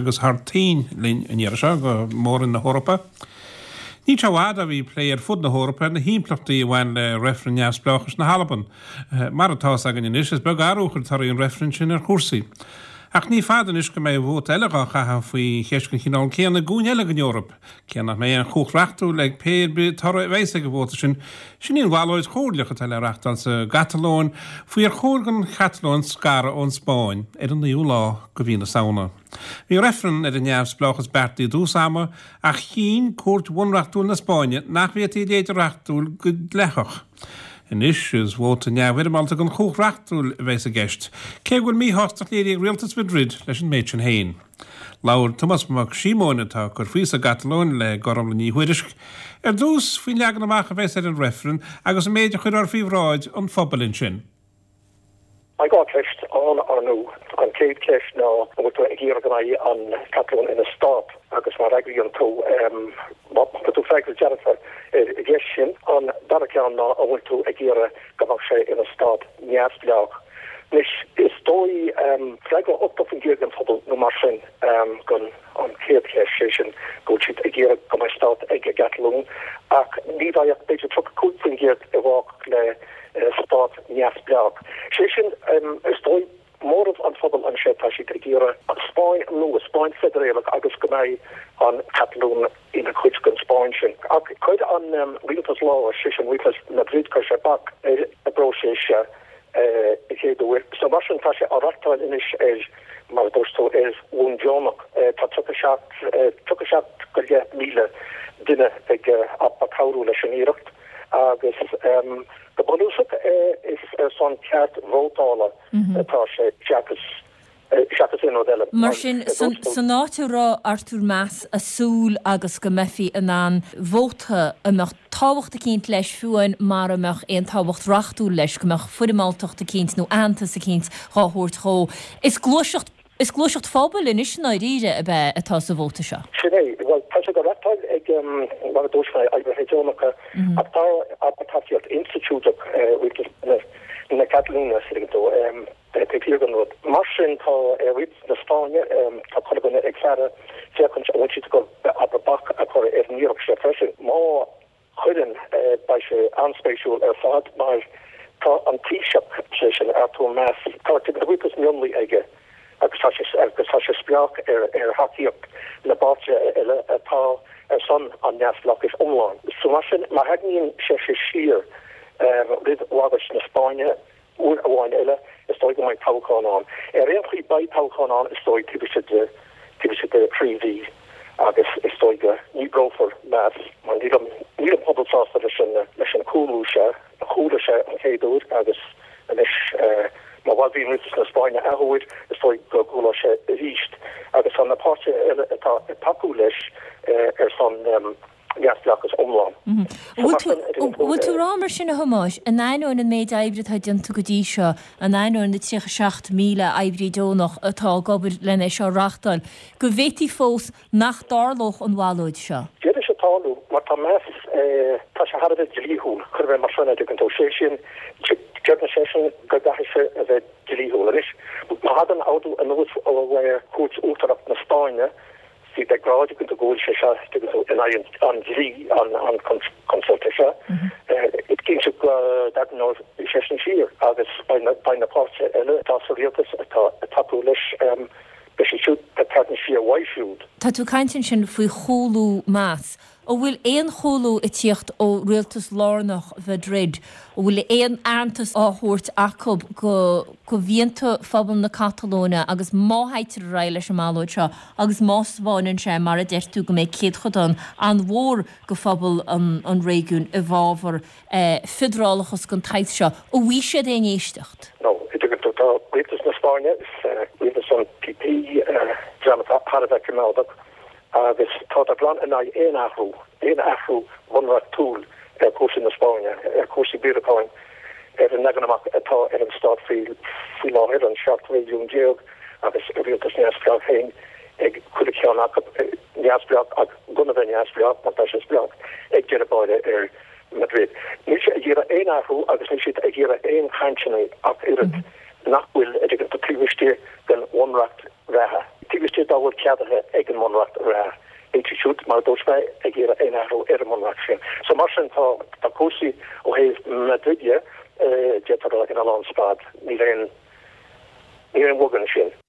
Agus thar toinn linn an iarraidh seo, go Mór-Roinn na hEorpa. Níl sé i bhfad ó bhí plé ar fud na hEorpa ar na himpleachtaí a bhain le reifreann neamhspleáchais na hAlban. Mar atá fhios againn anois, is beag athrú a chuir torthaí an reifrinn sin ar chúrsaí. Ach ní fada anois go mbeidh vóta eile dhá chaitheamh faoi cheist den chineál céanna i gcúinne eile den Eoraip. Cé nach mbeidh aon chumhacht reachtúil ag pé ar bith toradh a bheas ag an vóta sin, sin í an bhallóid chomhairleach atá le reachtáil sa gCatalóin faoi ar chóir don Chatalóin scaradh ón Spáinn ar an 9ú lá de mhí na Samhna. Bhí reifreann ar an neamhspleáchas beartaithe i dtús ama ach chinn Cúirt Bhunreachtúil na Spáinne nach bhféadfaí a leithéid a reachtúil go dleathach. Anois is vóta neamhfhoirmeálta gan chumhacht reachtúil a bheas i gceist, cé go bhfuil míshástacht léirithe ag rialtas Mhadrid leis an méid sin féin. Labhair Tomás Mac Síomóin, atá ag cur faoi sa gCatalóin, le Gormlaith Ní Thuairisg, ar dtús faoin leagan amach a bheas ar an reifreann agus an méid a chuirfear faoi bhráid an phobail ansin. Beidh 2 cheist ann, ar ndóigh. An chéad cheist ná an bhfuil tú ag iarraidh go mbeidh an Chatalóin ina stát agus má fhreagraíonn tú, má thugann tú freagra dearfa ar an gceist sin. An dara ceann ná an bhfuil tú ag iarraidh go mbeadh sé ina stát neamhspleách. Anois, is dóigh, freagra 80% den phobal nó mar sin don an chéad cheist, sé sin go bhfuil siad ag iarraidh go mbeidh stát ag an gCatalóin, ach ní bheidh ach b'fhéidir 35% i bhfách le stát neamhspleách. Sé sin, is dóigh, móramh an phobail anseo, tá siad ag iarraidh an Spáinn nua, Spáinn feidearálach agus go mbeidh an Chatalóin ina cuid den Spáinn sin. Ach chuir an rialtas láir, sé sin rialtas Madrid, chuir sé bac ar an bpróiseas seo an chéad uair. So mar sin tá sé á reachtáil anois ar, mar a dúirt tú, ar bhonn deonach. Tá 37, 37 go leith míle duine ag cabhrú leis an iarracht agus go bunúsach is ar son ceart vótála atá sé seachas seachas aon rud eile. Mar sin, san áit a raibh Artur Mas a' súil agus go mbeifí in ann vóta a mbeadh tábhacht eicínt leis, fiú amháin mara mbeadh aon tábhacht reachtúil leis, go mbeadh foirmeáltacht eicínt nó aitheantas eicínt dhá thabhairt dhó. Is gluaiseacht, is gluaiseacht phobail anois i ndáiríre ab ea atá sa vóta seo. Sin é. Bhuel, tá sé á reachtáil ag, mar a dúirt mé, oibrithe deonacha ach tá tacaíocht institiúideach rialtas na Catalóine, tuigeann tú. Taobh thiar den rud. Mar sin, tá rialtas na Spáinne, tá chuile dhuine ag faire féachaint an bhfuil siad ag dul abair bac a chur ar an iarracht seo freisin. Má chuireann, beidh sé an-spéisiúil ar fad mar tá an Taoiseach, sé sin Artur Mas, tá rialtas mionlaigh aige agus tá sé agus tá sé spleách ar ar thacaíocht na bpáirtithe eile atá ar son an neamhspleáchais iomláin. So mar sin, má tharraingíonn sé siar roimh bhagairt na Spáinne, Uair amháin eile, is dóigh go mbeidh toghchán ann. Ar aon chaoi, beidh toghchán ann, is dóigh, taobh istigh de, taobh istigh de thrí mhí agus is dóigh go ndíbreofar Mas mar níl an, níl an pobal sásta leis an, leis an chúlú seo. Chúlaigh sé an chéad uair agus anois, má bhalbhaíonn rialtas na Spáinne athuair, is dóigh go gcúlóidh sé arís. Agus tá na páirtithe eile atá ag tacú leis ar son, neamhspleáchas iomlán. An bhfuil tú ag rá mar sin a Thomáis, in ainneoin an méid oibre atá déanta go dtí seo, in ainneoin na 37,000 oibrí deonach atá ag obair len é seo a reachtáil, go bhféadfaí fós nach dtarlódh an bhallóid seo? D'fhéadfadh sé tarlú, mar tá Mas, tá sé thar a bheith dlíthiúil, cuirfidh mé mar sin é, dtuigeann tú, sé sin, deireann seisean go gcaithfidh sé a bheith dlíthiúil. Anois, má thagann ordú anuas ó Chúirt Uachtarach na Spáinne, Siad ag rá, tuigeann tú, go bhfuil sé seo, tuigeann tú, in aghaidh an dlí, an consulta seo. Is cinnte go dtarraingeoidh seisean siar agus beidh na páirtithe eile atá sa rialtas atá ag tacú leis, beidh siad siúd ag tarraingt siar uaidh siúd. Tá tú ag caint ansin faoi chúlú Mas. An bhfuil aon chúlú ag tíocht ó rialtas lárnach Mhadrid? An bhfuil aon aitheantas á thabhairt acu go mhianta phobal na Catalóine agus má théitear ar aghaidh leis an mballóid seo agus má 'spáineann sé, mar a deir tú, go mbeidh céadchodán an-mhór de phobal an réigiúin i bhfabhar fiodralachas den tsaghas seo, an bhfaighidh siad aon éisteacht? No, tuigeann tú, tá rialtas na Spáinne, rialtas an PP, dream atá thar a bheith coimeádach, agus tádar glan in aghaidh aon athrú, aon athrú bunreachtúil ar chúrsaí na Spáinne, ar chúrsaí riaracháin, ar an leagan amach atá ar an stát faoi láthair, an 17 réigiún agus a rialtas neamhspleách féin ag chuile cheann acu, neamhspleách ach gan a bheith neamhspleách mar tá sé spleách ag deireadh báire ar Madrid. Níl siad ag iarraidh aon athrú agus níl siad ag iarraidh aon chainteanna ach oiread nach bhfuil, a dtuigeann tú, taobh istigh den bhunreacht reatha. Taobh istigh dá bhfuil ceadaithe ag an mBunreacht reatha, níl siad siúd, mar a dúirt mé, ag iarraidh aon athrú ar an mBunreacht sin. So mar sin tá tá cúrsaí ó thaobh Madrid de, d'fhéadfá a rá, ina lánstad. Níl aon níl aon bhogadh ansin.